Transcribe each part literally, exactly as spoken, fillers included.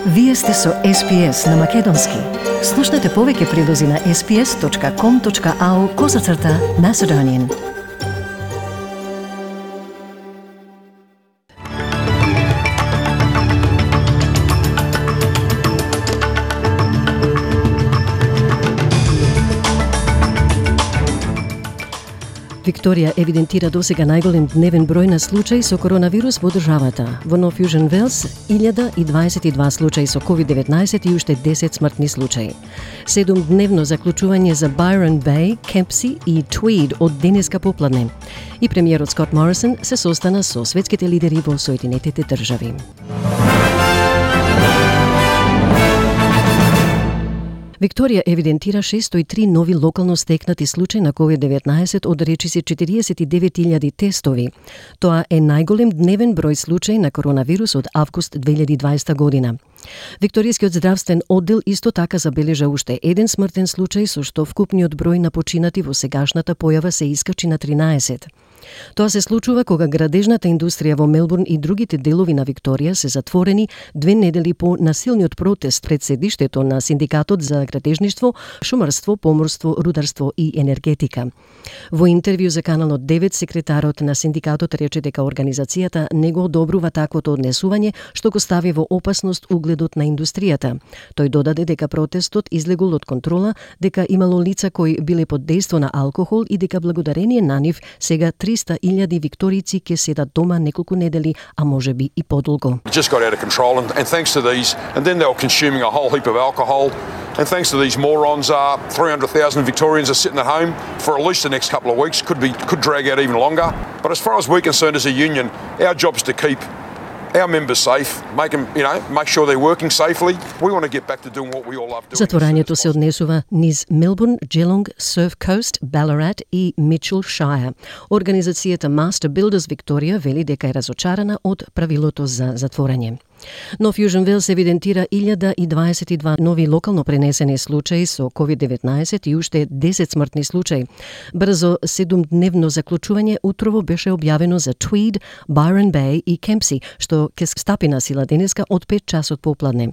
Вие сте со Ес Пи Ес на Македонски. Слушнете повеќе прилози на ес пи ес точка ком точка ау козацрта Macedonian. Викторија евидентира досега најголем дневен број на случаи со коронавирус во државата. Во Нов Јужен Велс, илјада и дваесет и два случаи со ковид деветнаесет и уште десет смртни случаи. Седумдневно заклучување за Byron Bay, Kempsey и Tweed од денеска попладне. И премиерот Скот Морисон се состана со светските лидери во Соединетите држави. Викторија евидентира шестој и три нови локално стекнати случаи на ковид деветнаесет од речиси четириесет и девет илјади тестови. Тоа е најголем дневен број случаи на коронавирус од август две илјади и дваесета година. Викторијскиот здравствен оддел исто така забележа уште еден смртен случај, со што вкупниот број на починати во сегашната појава се искачи на тринаесет. Тоа се случува кога градежната индустрија во Мелбурн и другите делови на Викторија се затворени две недели по насилниот протест пред седиштето на Синдикатот за градежништво, шумарство, поморство, рударство и енергетика. Во интервју за Каналот девет, секретарот на синдикатот рече дека организацијата не го одобрува таквото однесување, што го стави во опасност угледот на индустријата. Тој додаде дека протестот излегол од контрола, дека имало лица кои биле под дејство на алкохол и дека благодарение на нив сега триста илјади викторици ке седат дома неколку недели, а можеби и подолго. It just got out of control and, and thanks to these, and then they were consuming a whole heap of alcohol, and thanks to these morons, uh, three hundred thousand Victorians are sitting at home for at least the next couple of weeks, could be could drag out even longer. But as far as we're concerned as a union, our job is to keep our members safe, make them, you know, make sure they're working safely. We want to get back to doing what we all love doing. Затворањето се однесува низ Мелбурн, Geelong, Surf Coast, Ballarat и Mitchell Shire. Организацијата Master Builders Викторија вели дека е разочарана од правилото за затворање. Нов Јужен Велс евидентира илјада и дваесет и два нови локално пренесени случаи со ковид деветнаесет и уште десет смртни случаи. Брзо седумдневно заклучување утрово беше објавено за Tweed, Byron Bay и Kempsey, што ке стапи на сила денеска од пет часот попладне.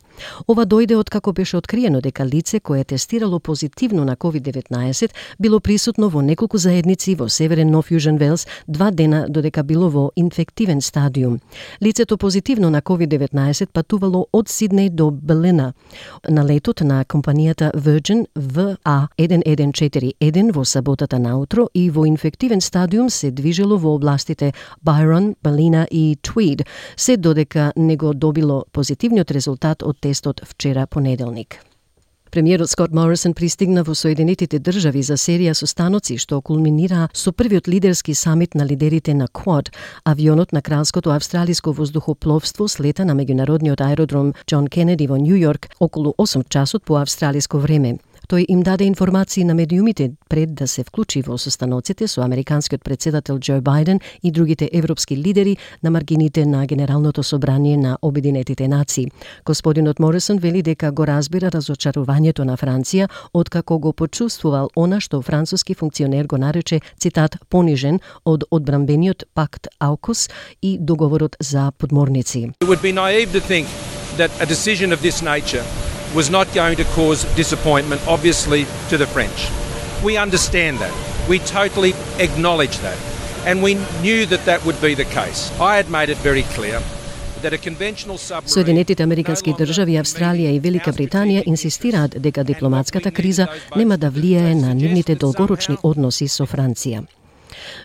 Ова дојде од како беше откриено дека лице кое тестирало позитивно на ковид деветнаесет било присутно во неколку заедници во северен Нов Јужен Велс два дена додека било во инфективен стадиум. Лицето позитивно на ковид деветнаесет патувало од Сиднеј до Белина на летот на компанијата Virgin В А еден еден четири еден во саботата наутро и во инфективен стадиум се движело во областите Byron, Ballina и Tweed, се додека не го добило позитивниот резултат од тестот вчера понеделник. Премиерот Скот Морисон пристигна во Соединетите држави за серија состаноци што кулминираа со првиот лидерски самит на лидерите на Quad. Авионот на Кралското австралиско воздухопловство слета на меѓународниот аеродром Џон Кенеди во Њу Јорк околу осум часот по австралиско време. Тој им даде информации на медиумите пред да се вклучи во состаноците со американскиот председател Џо Бајден и другите европски лидери на маргините на Генералното собрание на Обединетите нации. Господинот Морисон вели дека го разбира разочарувањето на Франција откако го почувствувал она што француски функционер го нарече, цитат, понижен од одбранбениот пакт Аукус и договорот за подморници. It would be naive to think that a decision of this nature was not going to cause disappointment, obviously, to the French. We understand that. We totally acknowledge that. And we knew that that would be the case. I had made it very clear that a conventional submarine... Соединетите американски држави, Австралија и Велика Британија инсистираат дека дипломатската криза нема да влијае на нивните долгорочни односи со Франција.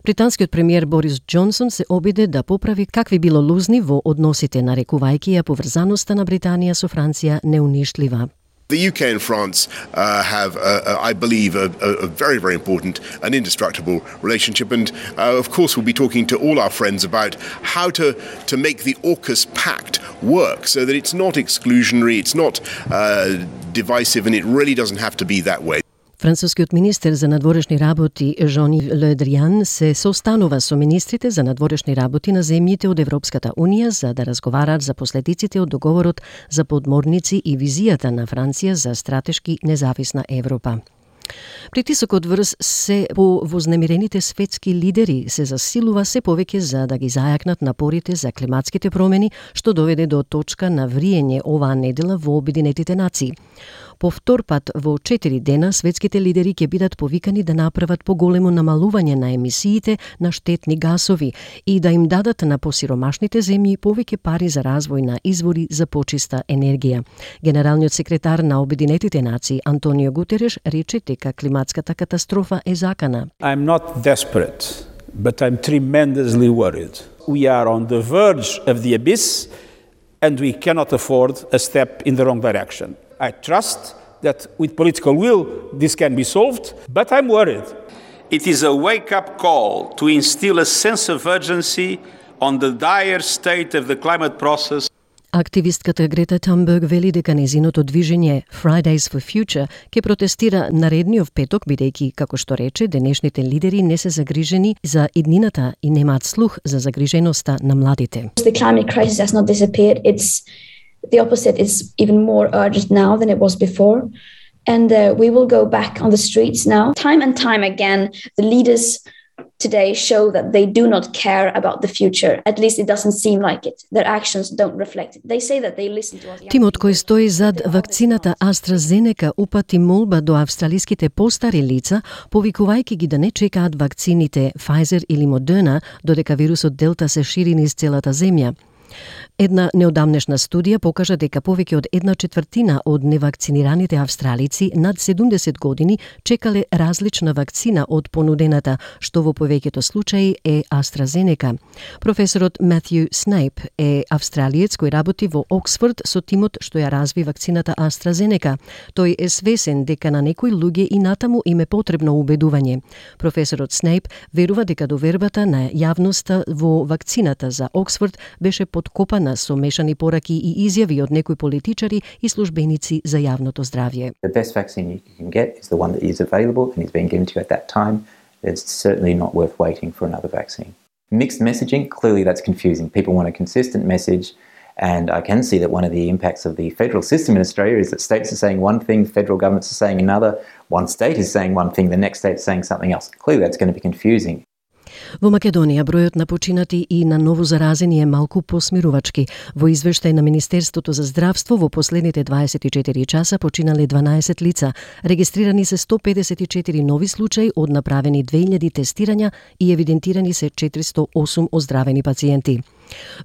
Британскиот премиер Борис Џонсон се обиде да поправи какви било лузни во односите, нарекувајќи ја поврзаноста на Британија со Франција неунишлива. The U K and France uh, have, uh, I believe, a, a very, very important and indestructible relationship. And, uh, of course, we'll be talking to all our friends about how to, to make the AUKUS pact work so that it's not exclusionary, it's not uh, divisive, and it really doesn't have to be that way. Францускиот министер за надворешни работи Жан-Йв Ле Дриан се состанува со министрите за надворешни работи на земјите од Европската Унија за да разговараат за последиците од договорот за подморници и визијата на Франција за стратешки независна Европа. Притисокот врз се по вознемирените светски лидери се засилува се повеќе за да ги зајакнат напорите за климатските промени, што доведе до точка на вриење оваа недела во Обединетите нации. По втор пат во четири дена светските лидери ќе бидат повикани да направат поголемо намалување на емисиите на штетни гасови и да им дадат на посиромашните земји повеќе пари за развој на извори за почиста енергија. Генералниот секретар на Обединетите нации Антонио Гутереш рече дека климатската катастрофа е закана. I'm not desperate, but I'm tremendously worried. We are on the verge of the abyss and we cannot afford a step in the wrong direction. I trust that with political will this can be solved, but I'm worried. It is a wake-up call to instill a sense of urgency on the dire state of the climate process. Активистката Грета Thunberg вели дека нејзиното движење Fridays for Future ќе протестира наредниот петок, бидејќи, како што рече, денешните лидери не се загрижени за иднината и немаат слух за загриженоста на младите. The climate crisis has not disappeared. It's the opposite. It's even more urgent now than it was before. And uh, we will go back on the streets now. Time and time again, the leaders today show that they do not care about the future. At least it doesn't seem like it. Their actions don't reflect it. They say that they listen to us. Тимот кој стои зад вакцината AstraZeneca упати молба до австралиските постари лица, повикувајќи ги да не чекаат вакцините Pfizer или Moderna, додека вирусот Делта се шири низ целата земја. Една неодамнешна студија покажа дека повеќе од една четвртина од невакцинираните австралици над седумдесет години чекале различна вакцина од понудената, што во повеќето случаи е AstraZeneca. Професорот Матју Снейп е австралиец кој работи во Оксфорд со тимот што ја разви вакцината AstraZeneca. Тој е свесен дека на некои луѓе и натаму им е потребно убедување. Професорот Снейп верува дека довербата на јавноста во вакцината за Оксфорд беше подкопана со мешани пораки и изјави од некои политичари и службеници за јавното здравје. The best vaccine you can get is the one that is available and is being given to you at that time. It's certainly not worth waiting for another vaccine. Mixed messaging, clearly that's confusing. People want a consistent message, and I can see that one of the impacts of the federal system in Australia is that states are saying one thing, federal governments are saying another, one state is saying one thing, the next state is saying something else. Clearly that's going to be confusing. Во Македонија бројот на починати и на ново заразени е малку посмирувачки. Во извештај на Министерството за здравство во последните дваесет и четири часа починале дванаесет лица. Регистрирани се сто педесет и четири нови случаи од направени две илјади тестирања и евидентирани се четиристо и осум оздравени пациенти.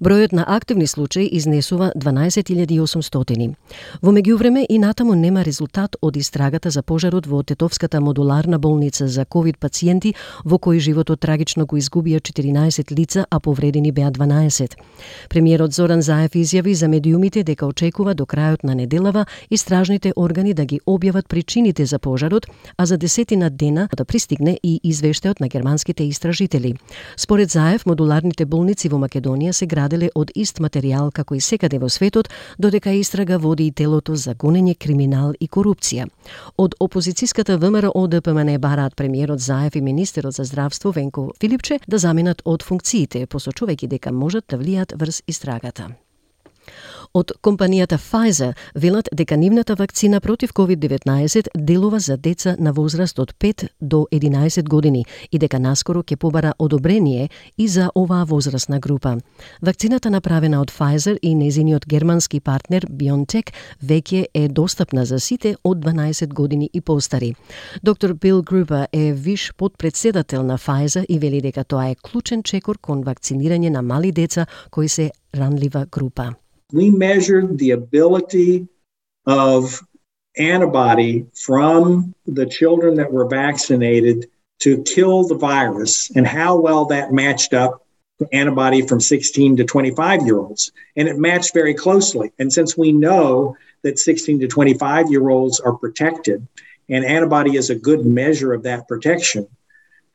Бројот на активни случаи изнесува дванаесет илјади и осумстотини. Во меѓувреме и натаму нема резултат од истрагата за пожарот во Тетовската модуларна болница за ковид пациенти, во кој животот трагично го изгубија четиринаесет лица, а повредени беа дванаесет. Премиерот Зоран Заев изјави за медиумите дека очекува до крајот на неделава истражните органи да ги објават причините за пожарот, а за десетина дена да пристигне и извештајот на германските истражители. Според Заев, модуларните болници во Македонија се граделе од ист материјал како и секаде во светот, додека истрага води и телото за гонење криминал и корупција. Од опозицијската ВМРО Д П М Н бараат премиерот Заев и министерот за здравство Венко Филипче да заменат од функциите, посочувајќи дека можат да влијат врз истрагата. Од компанијата Pfizer велат дека нивната вакцина против ковид деветнаесет делува за деца на возраст од пет до единаесет години и дека наскоро ќе побара одобрение и за оваа возрастна група. Вакцината направена од Pfizer и нејзиниот германски партнер BioNTech веќе е достапна за сите од дванаесет години и постари. Доктор Бил Грубер е виш подпредседател на Pfizer и вели дека тоа е клучен чекор кон вакцинирање на мали деца кои се ранлива група. We measured the ability of antibody from the children that were vaccinated to kill the virus and how well that matched up to antibody from sixteen to twenty-five year olds. And it matched very closely. And since we know that sixteen to twenty-five year olds are protected and antibody is a good measure of that protection,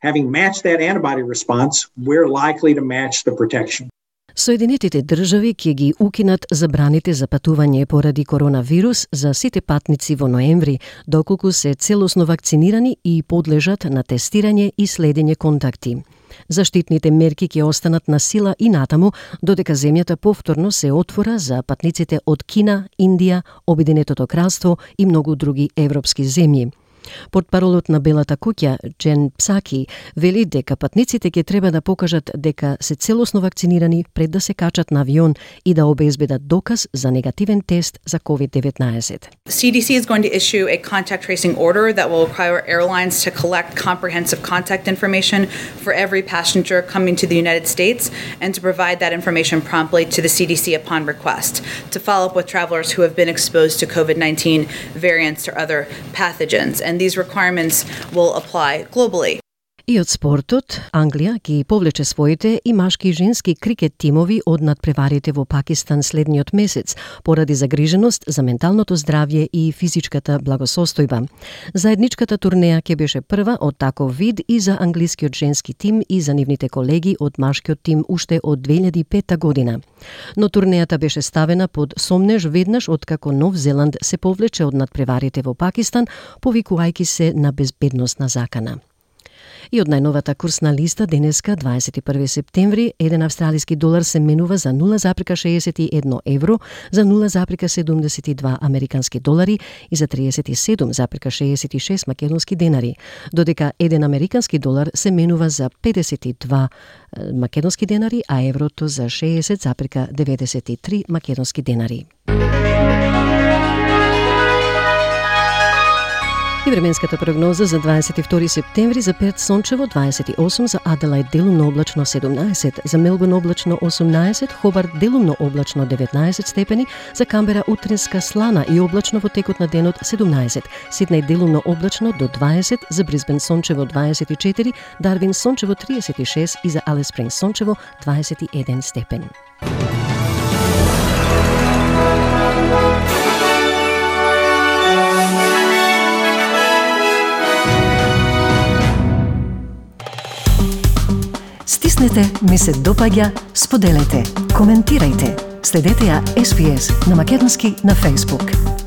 having matched that antibody response, we're likely to match the protection. Соединетите држави ќе ги укинат забраните за патување поради коронавирус за сите патници во ноември, доколку се целосно вакцинирани и подлежат на тестирање и следење контакти. Заштитните мерки ќе останат на сила и натаму, додека земјата повторно се отвора за патниците од Кина, Индија, Обединетото кралство и многу други европски земји. Портпаролот на Белата куќа, Джен Псаки, вели дека патниците ќе треба да покажат дека се целосно вакцинирани пред да се качат на авион и да обезбедат доказ за негативен тест за ковид деветнаесет. C D C is going to issue a contact tracing order that will require airlines to collect comprehensive contact information for every passenger coming to the United States and to provide that information promptly to the C D C upon request, to follow up with travelers who have been exposed to COVID nineteen variants or other pathogens. And these requirements will apply globally. И од спортот, Англија ги повлече своите и машки и женски крикет тимови од надпреварите во Пакистан следниот месец, поради загриженост за менталното здравје и физичката благосостојба. Заедничката турнеја ќе беше прва од таков вид и за англискиот женски тим и за нивните колеги од машкиот тим уште од две илјади и пета година. Но турнејата беше ставена под сомнеж веднаш откако Нов Зеланд се повлече од надпреварите во Пакистан, повикувајќи се на безбедносна закана. И од најновата курсна листа денеска, дваесет и први септември, еден австралиски долар се менува за нула зарез шеесет и едно евро, за нула зарез седумдесет и два американски долари и за триесет и седум зарез шеесет и шест македонски денари, додека еден американски долар се менува за педесет и два македонски денари, а еврото за шеесет зарез деветдесет и три македонски денари. И временската прогноза за дваесет и втори септември: за Перт сончево дваесет и осум, за Аделаид делумно облачно седумнаесет, за Мелбурн облачно осумнаесет, Хобарт делумно облачно деветнаесет степени, за Камбера утринска слана и облачно во текот на денот седумнаесет, Сиднеј делумно облачно до дваесет, за Брисбен сончево дваесет и четири, Дарвин сончево триесет и шест и за Алис Спрингс сончево дваесет и еден степен. Стиснете, ми се допаѓа, споделете, коментирајте. Следете ја Ес Би Ес на македонски на Facebook.